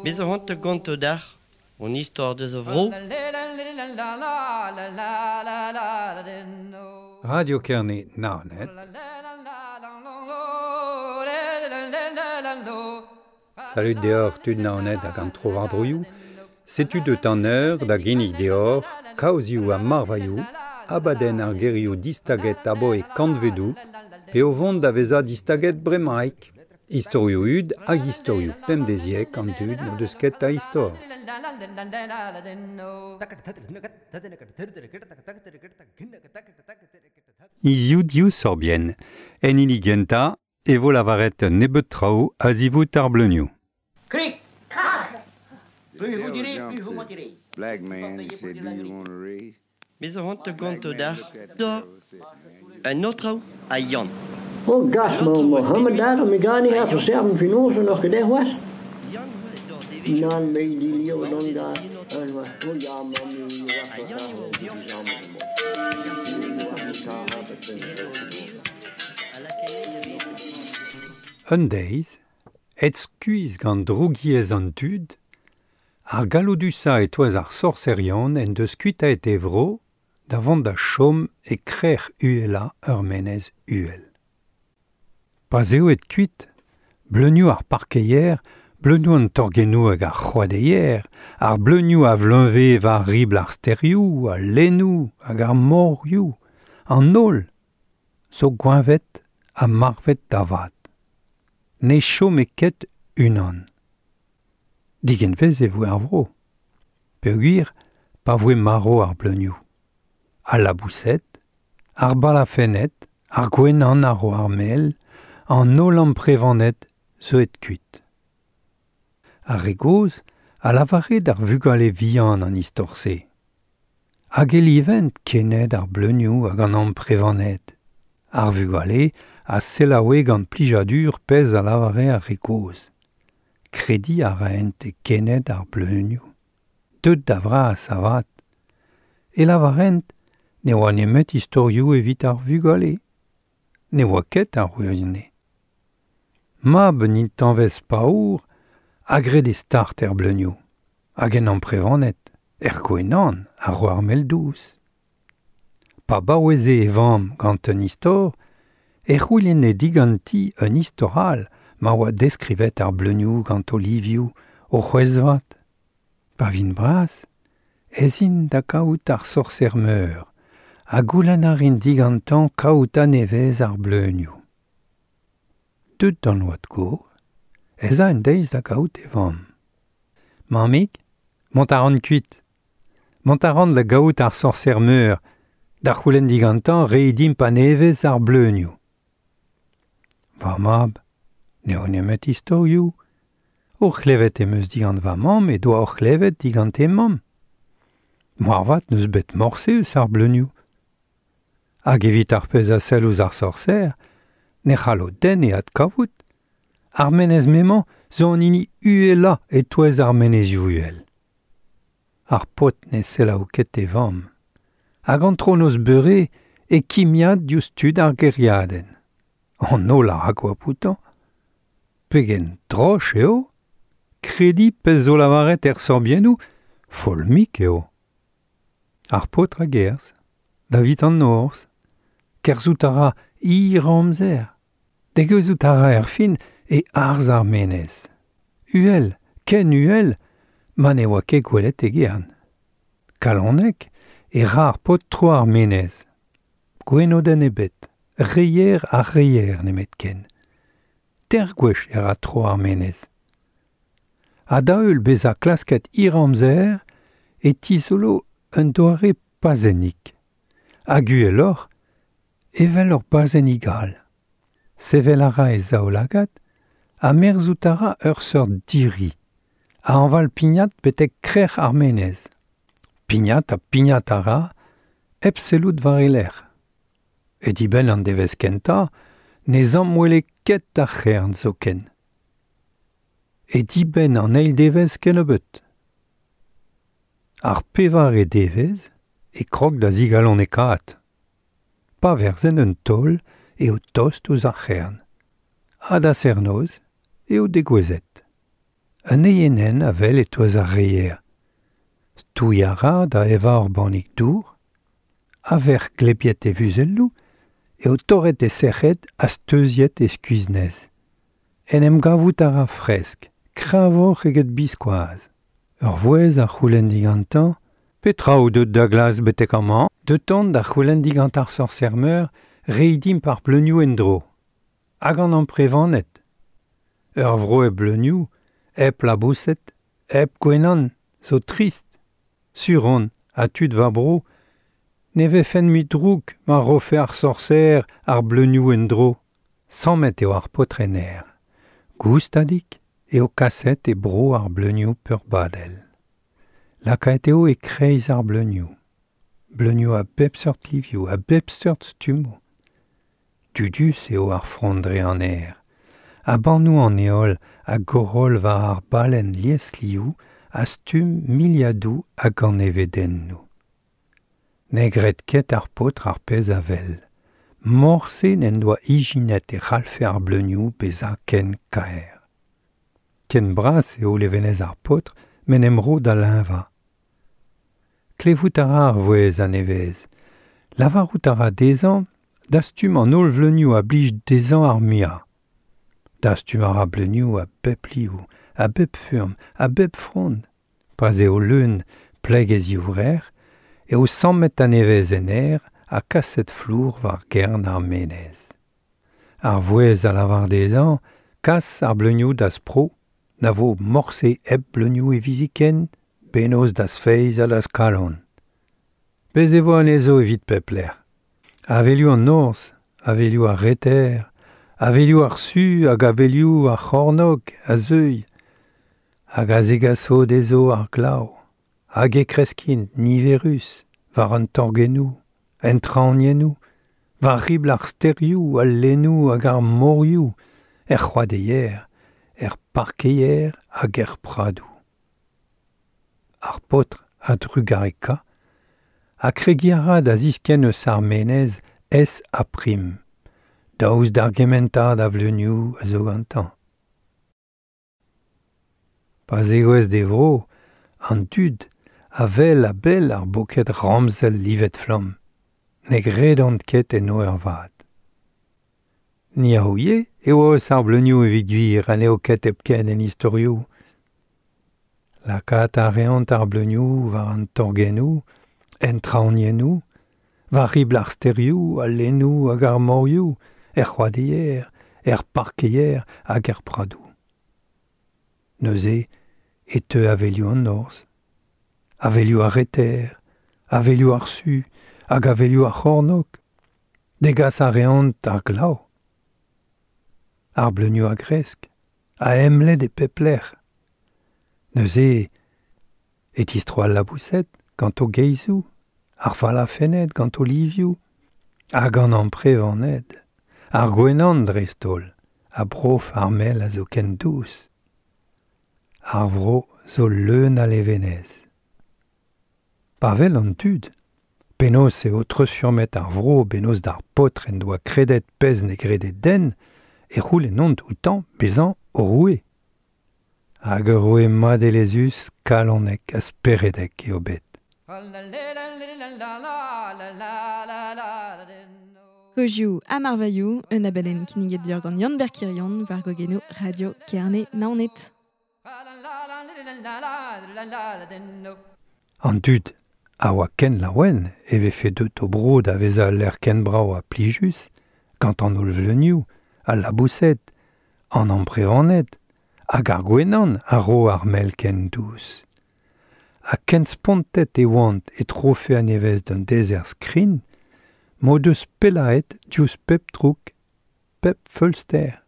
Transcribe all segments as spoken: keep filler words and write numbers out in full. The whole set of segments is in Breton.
Bez a hont gonto d'ar, on istor deus a vro. Radio Kerne Naoned. Salut deoc'h tud Naoned hag an tro war droioù. Setu deut an eur da ginnig deoc'h, kaozioù ha marvailhoù, abadenn ar gerioù distaget aboe kantvedoù, pe o vont da vezañ distaget bremaik. Istorioù hud hag istorioù pemdeziek an dud n'o deus ket a istor. Hiziv div sorbien. En hini gentañ e vo lavaret nebeut traoù a-zivout ar bleunioù. Krik, krak. Plus vous direz, plus vous mentirez. Black man, he said, do you want a raise? Bez a hont gonto d'ar, da, un autre a Yann. Oh gas, Mohammed daar, mi gar nicht auf Serben Finanzen noch gedacht was? Nan me di lio non da. Oh ja, mamma Un deiz, et skuizh gant drougiezh an tud, ar galloudusañ e-touez ar sorserion en deus kuitaet e vro da vont da chom e krec'h uhelañ ur menez uhel. Pa eo et kuit, bleunioù ar parkeier, bleunioù an torgennoù hag ar c'hoadeier, ar bleunioù a vleunve war ribl ar sterioù, al lennoù hag ar morioù, an holl zo gweñvet ha marvet da vat. Ne chome ket unan. Digenvez e voe ar vro. Peogwir, pa voe marv ar bleunioù. Al laboused, ar balafenned, ar gwenan a ro ar mel, an holl amprevaned zo et kuit. Ar re gozh a lavare d'ar vugale vihan an istor-se. Hag e livent kened ar bleunioù hag an amprevaned. Ar vugale a selaoue gant plijadur pezh a lavare ar re gozh. Krediñ a raent e kened ar bleunioù. Deut da vras avat. E lavarent ne oa nemet istorioù evit ar vugale. Ne oa ket ar wirionez. Mab un intañvez paour a grede start er bleunioù, hag en amprevaned, er gwenan a ro ar mel dous. Pa baoueze e vamm gant un istor, e c'houlenne diganti un istor all ma oa deskrivet ar bleunioù gant olivioù o c'hwezvat. Pa vin bras, ez int da kaout ar sorser meur, ha goulenn a rin digantañ kaout anevez ar bleunioù. Deut d'an oad kozh, ez a un deiz da gaout e vamm. Mammig, mont a ran kuit. Mont a ran da gaout ar sorser meur, da c'houlenn digantañ reiñ dimp anevez ar bleunioù. Va mab, n'eo nemet istorioù. O c'hlevet em eus digant va mamm e doa o c'hlevet digant he mamm. Moarvat n'eus bet morse eus ar bleunioù. Hag evit ar pezh a sell ouzh ar sorser, ne c'hallo den e adkavout. Ar menez m'emañ zo an hini uhelañ e-touez ar menezioù uhel. Ar paotr ne selaou ket e vamm. Hag antronoz beure e kimiad diouzh tud ar gêriadenn. An holl a ra goap outañ. Pegen droch eo, krediñ pezh zo lavaret er sorbiennoù, foll-mik eo. Ar paotr a gerzh, davit an norzh, kerzhout a ra hir amzer, degouezhout a ra erfin e arz ar menez. Uhel, ken uhel, ma ne oa ket gwelet e gern. Kalonek e ra ar paotr tro ar menez. Gwenodenn ebet, reier ha reier nemetken. Teir gwech e ra tro ar menez. Ha da heul bezañ klasket hir amzer e tizolo un doare pazennig. Hag uheloc'h, evel ur bazennig all. Sevel a ra e zaoulagad ha merzout a ra ur seurt diri, a añval pignat betek krec'h ar menez. Pignat ha pignat a ra, hep sellout war e lerc'h. E dibenn an devezh kentañ, ne zamwele ket ar c'hern zoken. E dibenn an eil devezh kennebeut. Ar pevare devezh e krog da zigalonekaat. Pa verzen un taol eo tost ouzh ar c'hern. Ha da sernoz eo degouezhet. Un eienenn a wel e-touez ar reier. Stouiñ a ra da evañ ur bannig dour, a-vec'h glebiet e vuzelloù eo torret e sec'hed ha steuziet e skuizhnez. En em gavout a ra fresk, kreñvoc'h eget biskoazh. Ur vouezh a c'houlenn digantañ, petra out deut da glask betek amañ, deut on da c'houlenn digant ar sorser meur reiñ dimp ar bleunioù en-dro. Hag an amprevaned. Ur vro e bleunioù, hep laboused, hep gwenan, zo trist. Sur on, ha tud va bro, ne vefen mui droug ma rofe ar sorser ar bleunioù en-dro. Sammet eo ar paotr en aer. Goustadik eo kaset e bro ar bleunioù peurbadel. Lakaet eo e-kreiz ar bleunioù. Bleunioù a bep seurt livioù, a bep seurt stummoù. Dudus eo ar frond dre an aer. A bannoù an heol a goroll war ar balenn lieslioù a stumm miliadoù hag an evedennoù. Ne gred ket ar paotr ar pezh a wel. Morse n'en doa ijinet e c'hallfe ar bleunioù bezañ ken kaer. Ken bras eo levenez ar paotr m'en em ro da leñvañ. Klevout a ra ar vouezh a-nevez. Lavarout a ra dezhañ dastum an holl vleunioù a blij dezhañ ar muiañ. Dastum a ra bleunioù a bep liv, a bep furm, a bep frond. Pa'z eo leun pleg e zivrec'h, eo sammet a-nevez en aer ha kaset flour war gern ar menez. Ar vouezh a lavar dezhañ, kas ar bleunioù da'z pro, na vo morse hep bleunioù hiviziken, bennozh da'z feiz ha da'z kalon. Bez' e vo anezho evit pep lec'h. Avelioù an norzh, avelioù ar reter, avelioù ar su hag avelioù ar c'hornôg a zeuy, hag a zegaso dezho ar glav, hag e kreskint niverus war an torgennoù, en traoñiennoù, war ribl ar stêrioù, al lennoù hag ar morioù, er c'hoadeier, er parkeier hag er pradoù. Ar paotr a drugareka, ha kregiñ a ra da ziskenn eus ar menez S a prim, daoust d'ar gementad a vleunioù a zo gantañ. Pa zegouezh d'e vro, an tud a wel a-bell ar boked ramzel livet flamm. Ne gredont ket en o ervat. Ni a ouie eo eus ar bleunioù evit gwir ha n'eo ket hepken en istorioù. Lakaat a reont ar bleunioù war an torgennoù, en traoñiennoù, war ribl ar stêrioù, al lennoù hag ar morioù, er c'hoadeier, er parkeier hag er pradoù. Neuze e teu avelioù an norzh, avelioù ar reter, avelioù ar su hag avelioù ar c'hornôg. Degas a reont ar glav. Ar bleunioù a gresk, a emled e pep lec'h. Neuze e tistro al laboused gant o geizoù, ar falafenned gant o livioù, hag an amprevaned, ar gwenan dreist-holl, a brof ar mel a zo ken dous. Ar vro zo leun a levenez. Pa wel an tud, penaos eo treuzfurmet ar vro bennozh d'ar paotr en doa kredet pezh ne gredet den, e c'houlennont outañ bezañ o roue. Hag ur roue madelezhus kalonek ha speredek eo bet. Kozioù ha marvailhoù, un abadenn kinniget deoc'h gant Yann Berkirion war gogennoù Radio Kerne Naoned. An dud a oa ken laouen e vefe deut o bro da vezañ ul lec'h ken brav ha plijus, gant an holl vleunioù, al laboused, an amprevaned, hag ar gwenan a ro ar mel ken dous. Ha ken spontet e oant e trofe a-nevez d'un dezerzh skrin, m'o deus pellaet diouzh pep droug, pep feulster.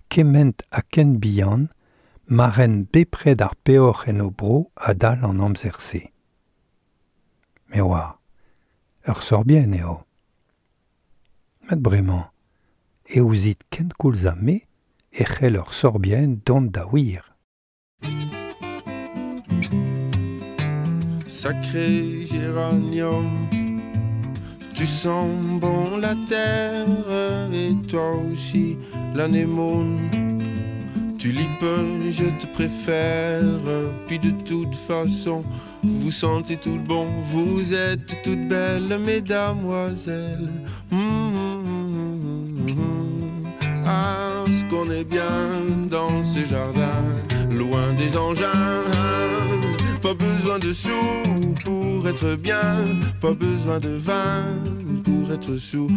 Kement ha ken bihan, ma ren bepred ar peoc'h en o bro adal an amzer-se. Me oar, ur sorbienn eo. Met bremañ, e ouzit kenkoulz ha me e c'hell ur sorbienn dont da wir. Sacré géranium, Tu sens bon la terre et toi aussi l'anémone. Tulipe, je te préfère. Puis de toute façon, vous sentez tout bon. Vous êtes toutes belles, mesdamoiselles. Mmh, mmh, mmh. Ah, ce qu'on est bien dans ces jardins, loin des engins. Pas besoin de sous pour être bien, pas besoin de vin pour être sous.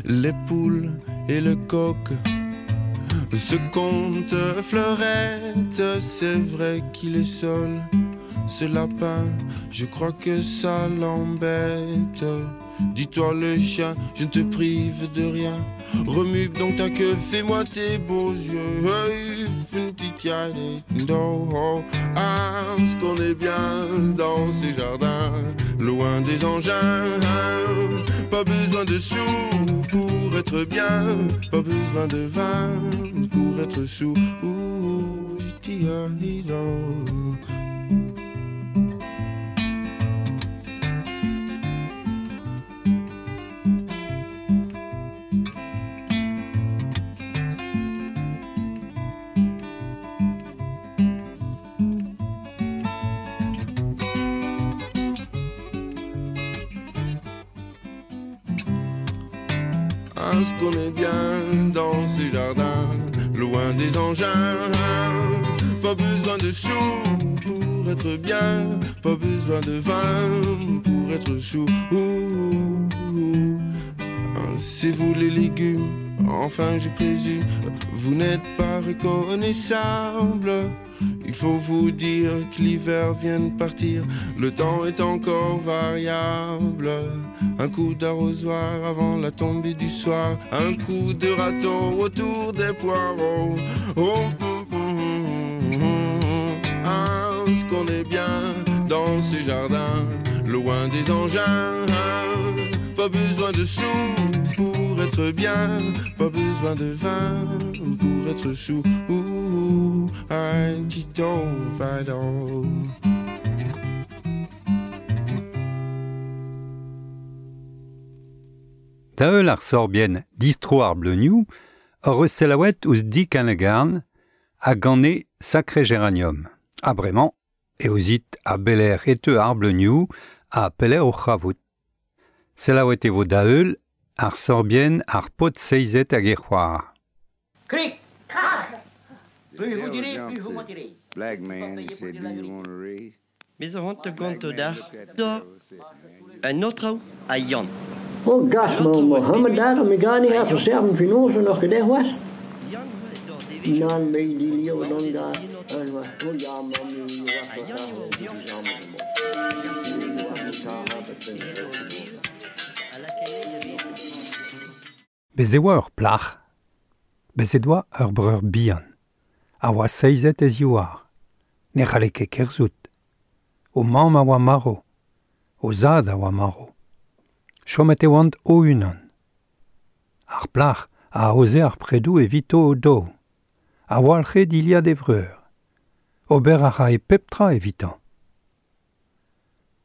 Les poules et le coq se comptent fleurette, c'est vrai qu'il est seul, ce lapin, je crois que ça l'embête. Dis-toi le chien, je ne te prive de rien. Remue donc ta queue, fais-moi tes beaux yeux. Ah, ce qu'on est bien dans ces jardins, loin des engins. Pas besoin de sous pour être bien, pas besoin de vin pour être sous. Ce qu'on est bien dans ces jardins, loin des engins. Pas besoin de sous pour être bien, pas besoin de vin pour être sous. C'est vous les légumes, enfin je présume, vous n'êtes pas reconnaissable. Il faut vous dire que l'hiver vient de partir, le temps est encore variable. Un coup d'arrosoir avant la tombée du soir, un coup de râteau autour des poireaux. Oh, oh, oh, oh, oh. Ah, ce qu'on est bien dans ces jardins, loin des engins. Pas besoin de sous pour être bien, pas besoin de vin pour être sous. Da eul ar sorbien distro ar bleuniou, ur eus selaouet ouzh Dick Annegarn a gane sacré géranium. A bremañ, e ouzit a beler eteu ar bleuniou a peler o c'havout. Selaouet e vo da eul ar sorbien ar pot seizet hag e c'hoar. Krik, krak. Plus vous direz, plus vous mentirez. Black man, he said, do you want to race? Bez a hont ganto d'ar da un autre a Yann. Oh, gas, Mohammed daar, Megani had verserven Finoze nog gedacht was. Nan, me die lieu dan daar. En was, oh ja, man, nu Bez e oa ur plac'h, bez e doa ur breur bihan, a oa seizet ez ioar, ne c'halle ket kerzout. O mamm a oa maro, o zad a oa maro. Chomet e oant o-unan. Ar plac'h a aoze ar predou evito o do, a walc'he diliad e vreur, ober a rae pep tra evitan.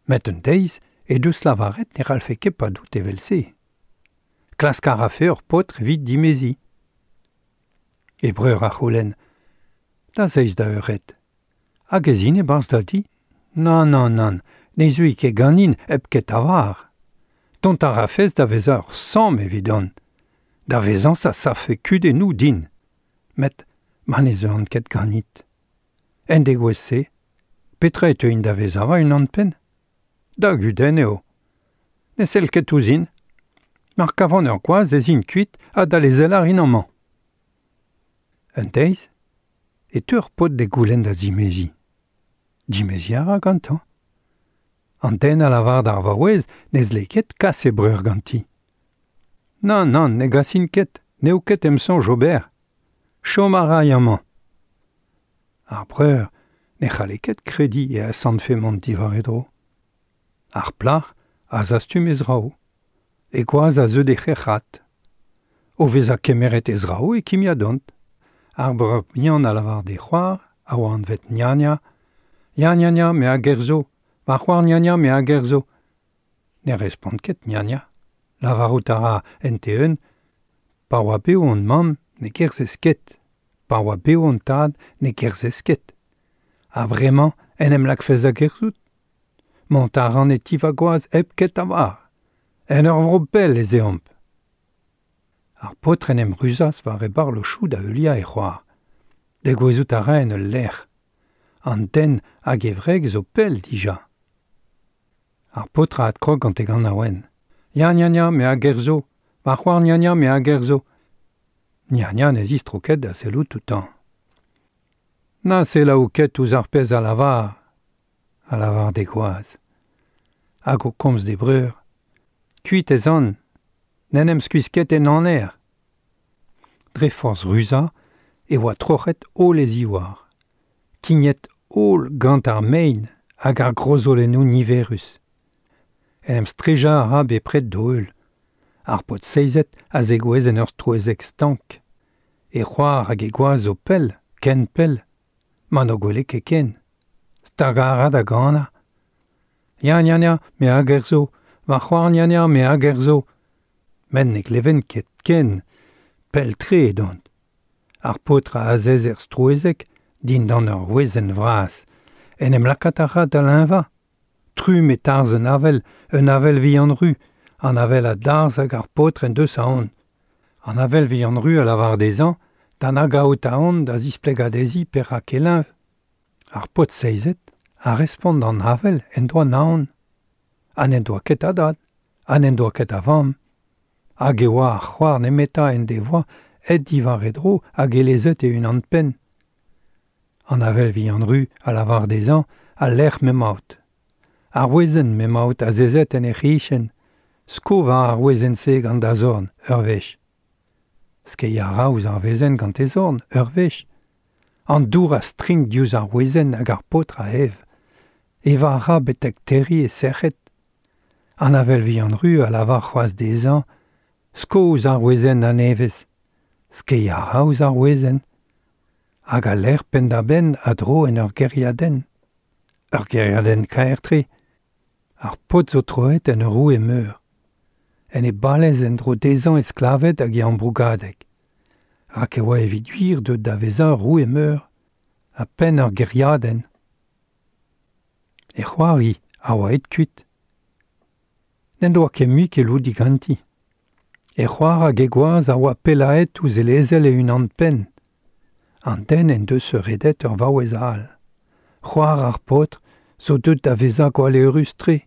Met un deiz e deus lavaret ne ralfe ket padout evel-se. Klask a rafe ur paotr evit dimezi. E breur a c'houlenn, da zeiz da eured. Hag ez in e-barzh da di? Nann, nann, nann, ne zui ket ganin hep ket avar. Tont a rafez da vezañ ur samm evidon. Da vezañ sa safe kudennoù din. Met ma ne zeuan ket ganit. En degouezh-se, petra e teuin da vezañ va unan penn? Da gudenn eo. Ne sell ket ouzhin. Mar kavan ur gwaz ez in kuit ha da lezel ar in amañ. Un deiz, e teu ur paotr d'e goulenn da zimezi. Dimezi a ra gantañ. An den a lavar d'ar vaouez ne zle ket kas e breur ganti. Nann, nann, ne gasin ket, n'eo ket em soñj ober. Chom a ray amañ. Ar breur ne c'halle ket krediñ e asantfe mont diwar e dro. Ar plac'h a zastum e zraoù. E gwaz a zeu d'e c'herc'hat. O vezañ kemeret e zraoù e kimiadont. Ar breur bihan a lavar d'e c'hoar, a oa anvet Gnagna. Ya, Gnagna, me a gerzo. Ma c'hoar Gnagna, me a gerzo. Ne respont ket Nya-Nya. Lavarout a ra en te-eun, pa oa beo hon mamm ne kerzhez ket, pa oa beo hon tad ne kerzhez ket. Ha bremañ en em lakfez da gerzhout. Mont a ran e ti va gwaz hep ket a var. En ur vro pell ez eomp. Ar paotr en em ruzas war e barlochoù da heuliañ e c'hoar. Degouezhout a ra en ul lec'h. An den hag e wreg zo pell dija. Ar paotr a adkrog gant e ganaouenn. Ya, nya, nya, me a gerzho. Va c'hoar nya, nya, me a gerzho. Nya, nya ne zistro ket da sellout outañ. Na selaou ket ouzh ar pezh a lavar, a lavar d'he gwaz. Hag o komz d'he breur. Kuit ez an, n'en em skuizh ket en aner. Dre forzh ruzañ e oa troc'het holl e zivhar. Kignet holl gant ar mein hag ar grozolennoù niverus. En em strejañ a ra bepred d'o heul. Ar paotr seizet a zegouezh en ur strouezheg stank. E c'hoar hag e gwaz zo pell, ken pell. Ma n'o gwele ket ken. Stagañ a ra da ganañ. Ya, nya, nya, me a gerzho. Va c'hoar nya, nya, me a gerzho. Met ne gleven ket ken. Pell-tre edont. Ar paotr a azez er strouezheg dindan ur wezenn vras. En em lakaat a ra da leñvañ. Trumm e tarzh un avel, un avel vihan ru. An avel a darzh hag ar paotr en deus aon. An avel vihan ru a lavar dezhañ, da na gaout aon da zisplegañ dezhi perak e leñv. Ar paotr seizet a respont d'an avel en doa naon. Ha n'en doa ket a dad, ha n'en doa ket a vamm. Hag e oa ar c'hoar nemetañ en devoa aet diwar e dro hag e lezet e-unan-penn. An avel vihan ru a lavar dezhañ al lec'h m'emaout. Ar wezenn m'emaout azezet en he c'hichen, sko war ar wezenn-se gant da zorn, ur wech. Skeiñ a ra ouzh ar wezenn gant e zorn, ur wech. An dour a strink diouzh ar wezenn hag ar paotr a ev. Evañ a ra betek terriñ e sec'hed. An avel vihan ru a lavar c'hoazh dezhañ, sko ouzh ar wezenn a-nevez. Skeiñ a ra ouzh ar wezenn. Hag al lec'h penn-da-benn a dro en ur gêriadenn. Ur gêriadenn kaer-tre. Ar paotr zo troet en ur roue meur. En e balez en-dro dezhañ e sklaved hag e ambrougadeg. Rak e oa evit gwir deuet da vezañ roue meur, ha penn ur gêriadenn. E c'hoar-hi a oa aet kuit. N'en doa ket mui keloù diganti. E c'hoar hag e gwaz a oa pellaet ouzh e lezel e-unan-penn. An den en deus euredet ur vaouez all. C'hoar ar paotr zo deuet da vezañ gwalleurus-tre.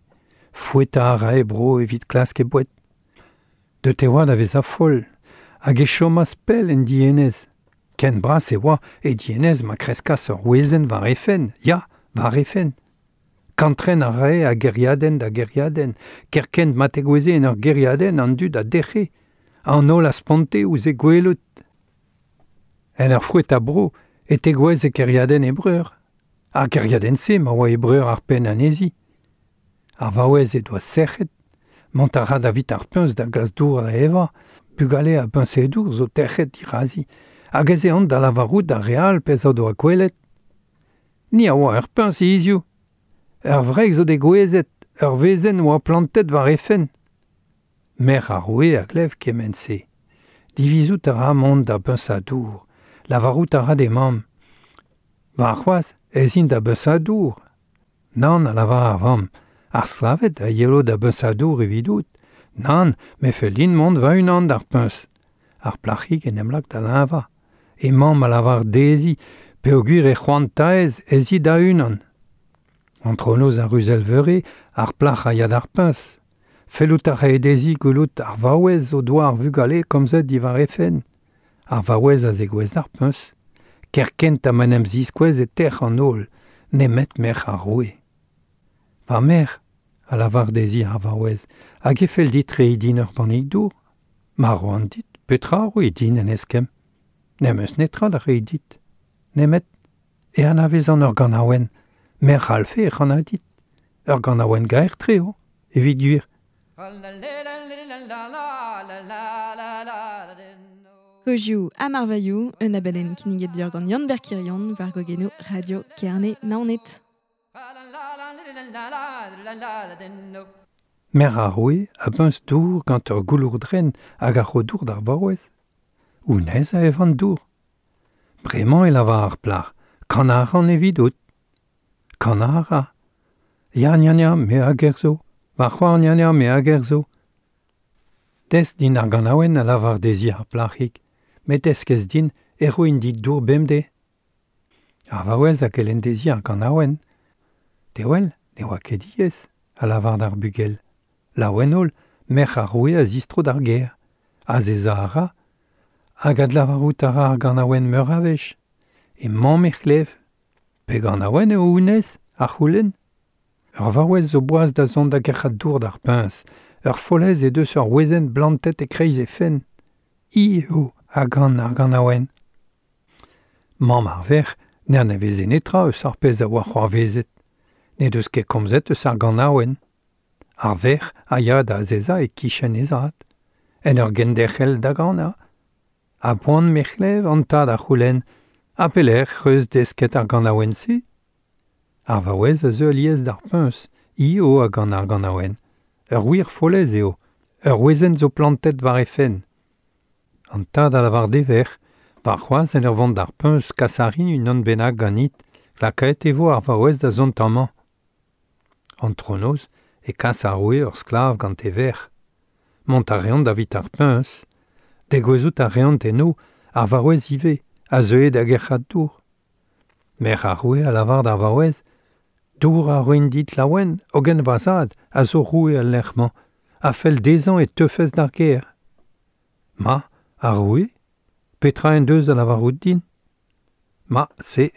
Foetañ a rae bro evit klask e boued. Deuet e oa da vezañ foll, hag e chomas pell en dienez. Ken bras e oa e dienez ma kreskas ur wezenn war he fenn, ya, war he fenn. Kantren a rae a gêriadenn da gêriadenn, kerkent ma tegouezhe en ur gêriadenn an dud a dec'he, an holl a sponte ouzh he gwelout. En ur foetañ bro e tegouezhe e kêriadenn he breur. Ar gêriadenn-se ma oa he breur ar penn anezhi. Ar vaouez he doa sec'hed, mont a ra davit ar puñs da glask dour da evañ, bugale a beñsedour zo tec'het dirazi, hag ez eont da lavarout d'ar re all pezh o doa gwelet. Ni a oa er puñs hiziv. Ur wreg zo degouezhet, ur wezenn oa plantet war he fenn. Merc'h ar roue a glev kement-se. Divizout a ra mont da beñsañ dour, lavarout a ra d'he mamm. Warc'hoazh ez in da beñsañ dour. Nann a lavar ar vamm, ar sklaved a yelo da beñsañ dour evidout. Nann, me fell din mont va-unan d'ar puñs. Ar plac'hig en em lak da leñvañ. He mamm a lavar dezhi, peogwir e c'hoantaez ez i da-unan. Antronoz ar ruzell veure, ar plac'h a ya d'ar puñs. Fellout a rae dezhi gwelout ar vaouez o doa ar vugale komzet diwar he fenn. Ar vaouez a zegouezh d'ar puñs. Kerkent ha ma en em ziskouez e tec'h an holl, nemet merc'h ar roue. Va merc'h, a lavar dezhi ar vaouez, hag e fell dit reiñ din ur bannig dour. Ma roan dit, petra a roi din en eskemm? N'em eus netra da reiñ dit. Nemet e anavezan ur ganaouenn, me c'hallfe he c'hanañ dit. Ur ganaouenn gaer-tre eo, evit gwir. Kozioù ha marvailhoù, un abadenn kinniget deoc'h gant Yann-Ber Kirion war gwagennoù Radio Kerne Naoned. Mer ar roue a buñs dour gant ur goulourdrenn hag ar ro dour d'ar vaouez. Honnezh a ev an dour. Bremañ e lavar ar plac'h, kanañ a ran evidout. Kanañ a ra. Ya, ya, ya, me a gerzo. Va c'hoar, ya, ya, me a gerzo. Desk din ar ganaouenn a lavar dezhi ar plac'hig, met deskez din e roin dit dour bemdez. Ar vaouez a kelenn dezhi ar ganaouenn. Te wel, ne oa ket diaes, a lavar d'ar bugel. Laouen holl, merc'h ar roue a zistro d'ar gêr. Azezañ a ra, hag adlavarout a ra ar ganaouenn meur a wech. Emañ me c'hlev. Pe ganaouenn eo honnezh, a c'houlenn. Ur vaouez zo boaz da zont da gerc'hat dour d'ar puñs. Ur follez he deus ur wezenn blantet e-kreiz he fenn. Hi eo a gan ar ganaouenn. Mamm ar verc'h ne anaveze netra eus ar pezh a oa c'hoarvezet. Ne deus ket komzet eus ar ganaouenn. Ar verc'h a ya da azezañ e-kichen he zad, en ur genderc'hel da ganañ. A poan me c'hlev an tad a c'houlenn, ha pelec'h eus desket ar ganaouenn-se? Ar vaouez a zeu alies d'ar puñs, hi eo a gan ar ganaouenn. Ur wir follez eo, ur wezenn zo plantet war he fenn. An tad a lavar d'e verc'h, warc'hoazh en ur vont d'ar puñs kas a rin unan bennak ganit, lakaet e vo ar vaouez da zont amañ. Antronoz e kas ar roue ur sklav gant e verc'h. Mont a reont davit ar puñs. Degouezhout a reont eno ar vaouez ivez, a zeue da gerc'hat dour. Merc'h ar roue a lavar d'ar vaouez, dour a roin dit laouen, hogen va zad a zo roue al lec'h-mañ, a fell dezhañ e teufez d'ar gêr. Ma, ar roue, petra en deus a lavarout din? Ma, se,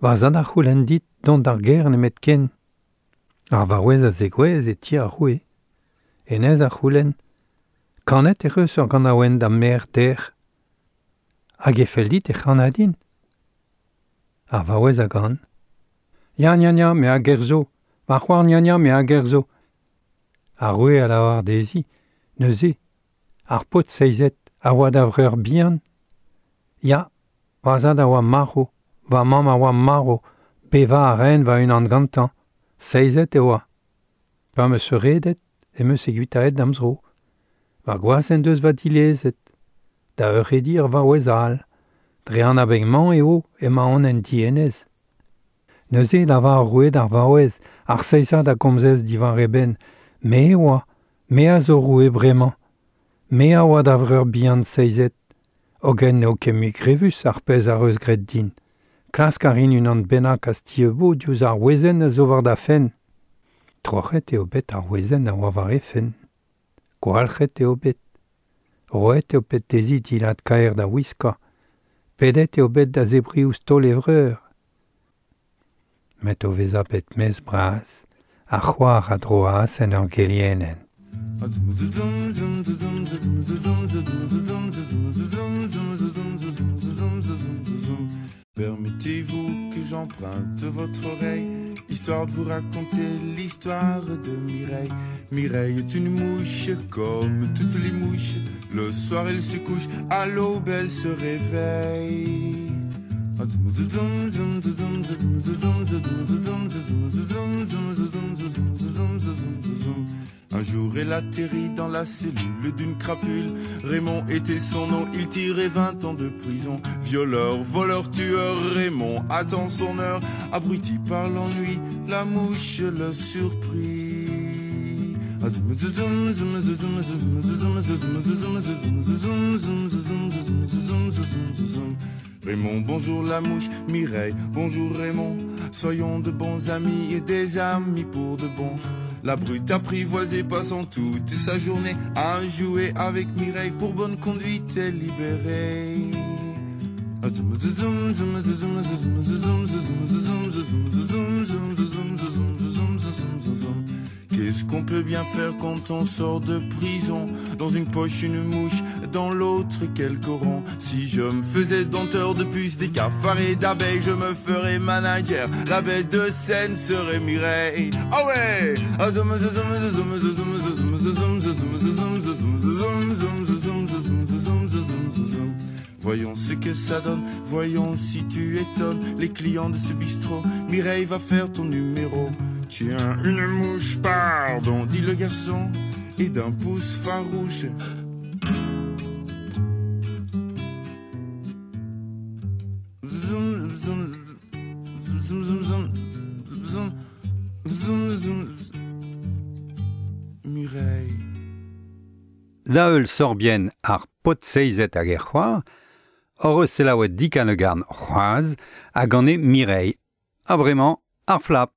va zad a c'houlenn dit dont d'ar gêr nemet ken. Ar vaouez a zegouezh e ti ar roue. Hennezh a c'houlenn. Kanet ec'h eus ur ganaouenn da merc'h dec'h. Hag e fell dit e c'hanañ din. Ar vaouez a gan. Ya, ya, ya, me a gerzo. Va c'hoar, ya, ya, me a gerzo. Ar roue a lavar dezhi, neuze, ar paotr seizet a oa da vreur bihan. Ya, va zad a oa marv, va mamm a oa marv, bevañ a raen va-unan gantañ. Seizet e oa. Pa 'm eus redet, em eus e guitaet d'am zro. Va gwaz en deus va dilezet. Da eurediñ ur vaouez all. Dre an abeg-mañ eo emaon en dienez. Neuze lavar ar roue d'ar vaouez, ar seizad a gomzez diwar e benn. Me e oa, me a zo roue bremañ. Me a oa da vreur bihan seizet. Hogen n'eo ket mui grevus ar pezh a reus graet din. Klask a rin unan bennak a stieubo diouzh ar wezenn a zo war da fenn. Troc'het eo bet ar wezenn a oa war he fenn. Gwalc'het eo bet. Roet eo bet dezhi dilhad kaer da wiskañ. Pedet eo bet da zebriñ ouzh taol e vreur. Met o vezañ bet mezh bras, ar c'hoar a droas en ur gelienenn. Permettez-vous que j'emprunte votre oreille, histoire de vous raconter l'histoire de Mireille. Mireille est une mouche comme toutes les mouches. Le soir elle se couche, à l'aube elle se réveille. Un jour elle atterrit dans la cellule d'une crapule. Raymond était son nom, il tirait vingt ans de prison. Violeur, voleur, tueur, Raymond attend son heure. Abruti par l'ennui, la mouche le surprit. Raymond, bonjour la mouche, Mireille, bonjour Raymond. Soyons de bons amis et des amis pour de bon. La brute apprivoisée passant toute sa journée à jouer avec Mireille. Pour bonne conduite et libérée. Qu'est-ce qu'on peut bien faire quand on sort de prison? Dans une poche une mouche, dans l'autre quelques ronds. Si je me faisais dompteur de puces, des cafards et d'abeilles, je me ferais manager. La bête de scène serait Mireille. Ah ouais! Voyons ce que ça donne, voyons si tu étonnes les clients de ce bistrot. Mireille va faire ton numéro. Tiens, une mouche, pardon, dit le garçon, et d'un pouce farouche. Zoum, zoum, zoum, zoum, zoum, zoum, zoum, zoum. Mireille. Da eul sorbien ar pot seizet hag er c'hoar, hor eus selaouet dikan egarn c'hoaz hag an e Mireille. Ha bremañ ar flap.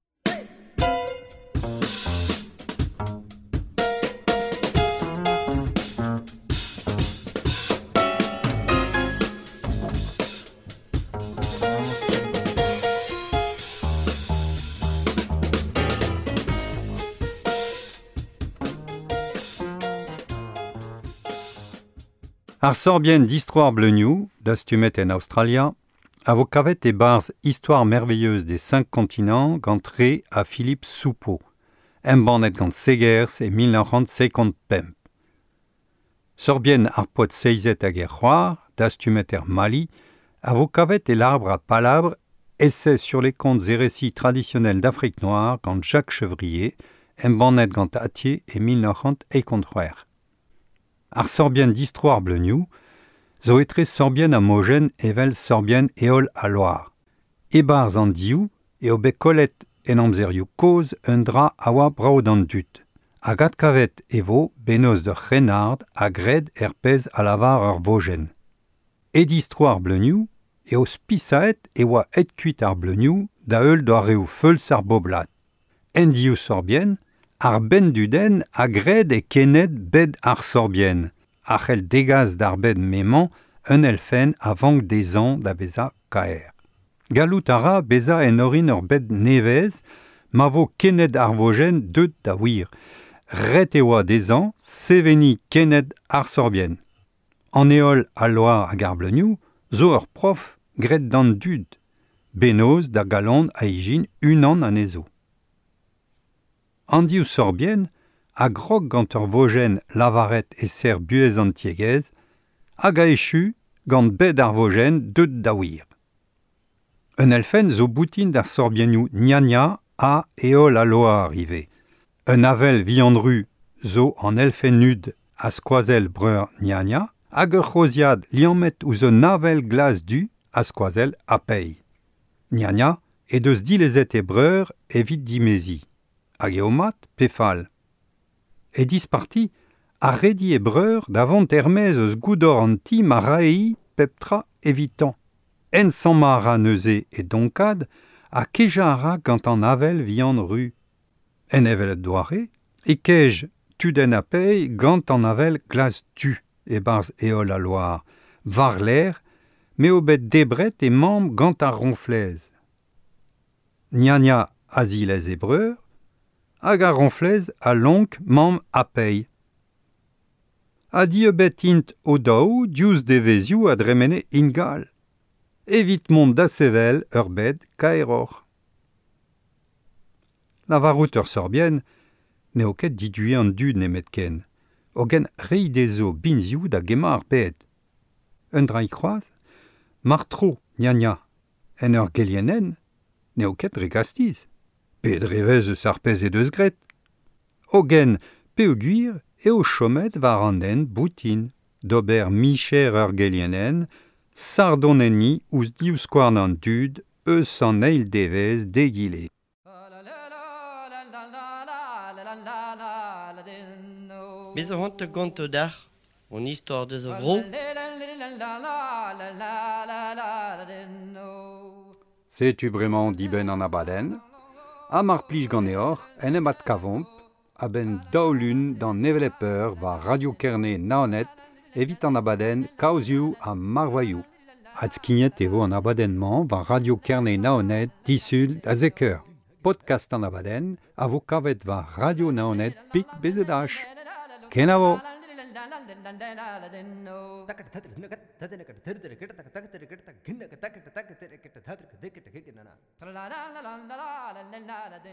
Ar sorbien d'Histoire Bleuniou, dastumet en Australia, a vo kavet e barz Histoire merveilleuse des cinq continents gant re a Philippe Soupeau, embannet gant Segers e mil nav c'hant seikont pemp. Sorbien ar pot seizet hag er c'hoar, dastumet er Mali, a vo kavet e l'arbre à palabre, essai sur les contes et récits traditionnels d'Afrique noire gant Jacques Chevrier, embannet gant Atier e mil nav c'hant eikont c'hwec'h. Ar sorbien d'Histoire Bleuniou, zo etre sorbien a mojen evel sorbien eol a loar. E-barz an diou eo bet kollet en amzerioù kozh un dra a oa brao d'an dud. Hag adkavet e vo benoz d'ur c'hrennard a gred er pezh a lavar ur vojenn. E d'Histoire Bleuniou eo spisaet e oa aet kuit ar bleuniou da heul doareoù feuls ar boblad. En diou sorbien, ar benn-dudenn a gred e kened bed ar sorbien, a c'hell degas d'ar bed memañ un elfenn a vank dezhañ da vezañ kaer. Gallout a ra bezañ en orin ur bed nevez, ma vo kened ar vojenn deut da wir. Ret e oa dezhañ seveniñ kened ar sorbien. An heol al loar hag ar bleunioù zo ur prof graet d'an dud, benoz da galon a ijin unan anezho. An div sorbien a grog gant ur vojenn lavaret e ser buhez an tiegezh hag a echu gant bed ar vojenn deut da wir. Un elfenn zo boutin d'ar sorbiennoù Nya-Nya ha heol al loar ivez. Un avel vihan-ru zo an elfenn-ud a skoazell breur Nya-Nya hag ur c'hoziad liammet ouzh un avel glas-du a skoazell apei. Nya-Nya he deus dilezet e breur evit dimeziñ. Hag eo mat pe fall. E disparti a redi e breur da vont er-maez eus goudor an ti ma raei pep tra evitañ. En sammañ a ra neuze e donkad ha kejañ a ra gant an avel vihan ru. En evel doare e kej tudenn a pei gant an avel glas-du e-barzh heol al loar, war l'air, m'eo bet debret e mamm gant ar ronflez. Nya-Nya a zilez e breur, hag ar ronflez a lonk mamm a pei. Ha dieubet int o daou diouzh devezioù a dremene ingal. Evit mont da sevel ur bed kaeroc'h. Lavarout ur sorbien n'eo ket diduiñ an dud nemetken, hogen reiñ dezho binvioù da gemmañ ar bed. Un dra kroaz, mar tro Nya-Nya en ur gelienenn n'eo ket dre gastiz. Pe drevez eus ar pezh he deus graet. Hogen peogwir eo chomet war an hent boutin, d'ober micher ur gelienenn, sardonenniñ ouzh divskouarn an dud eus an eil devezh d'egile. Bez zo c'hoant gonto d'ar, on istor deus a vro. Setu bremañ dibenn an abadenn. Ha mar plij ganeoc'h en em adkavomp a-benn daou lun d'an hevelep eur war Radio Kerne Naoned evit an abadenn Kaozioù ha Marvailhoù. Adskignet e vo an abadenn-mañ war Radio Kerne Naoned disul da zek eur. Podcast an abadenn a vo kavet war Radio Naoned pik B Z H. Kenavo! La la la la la la la la la.